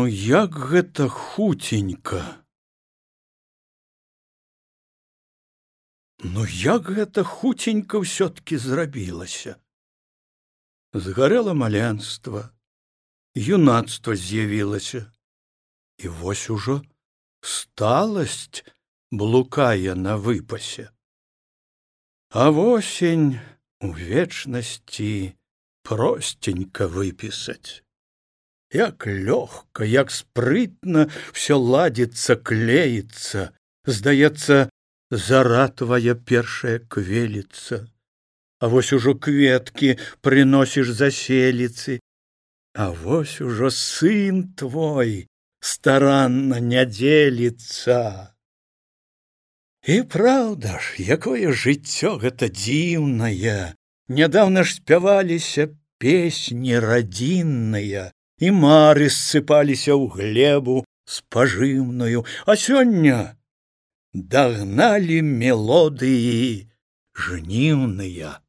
Ну як гэта хуценька. Ну як гэта хуценька ўсё-ткі зрабілася. Згарэла маленства, юнацтва з'явілася, і вось ужо сталасць блукае на выпасе. А восень у вечнасці простенька выпісаць. Як лёгка, як спрытна всё ладзіцца, клеіцца, здаецца, зара твая першая квеліцца. А вось ужо кветкі прыносіш заселіцы, а вось ужо сын твой старанна не дзеліцца. І праўда ж, якое жыццё гэта дзіўнае. Нядаўна ж спяваліся песні радзінныя, і мары ссыпаліся ў глебу спажыўную, а сёння дагналі мелодыі жніўныя.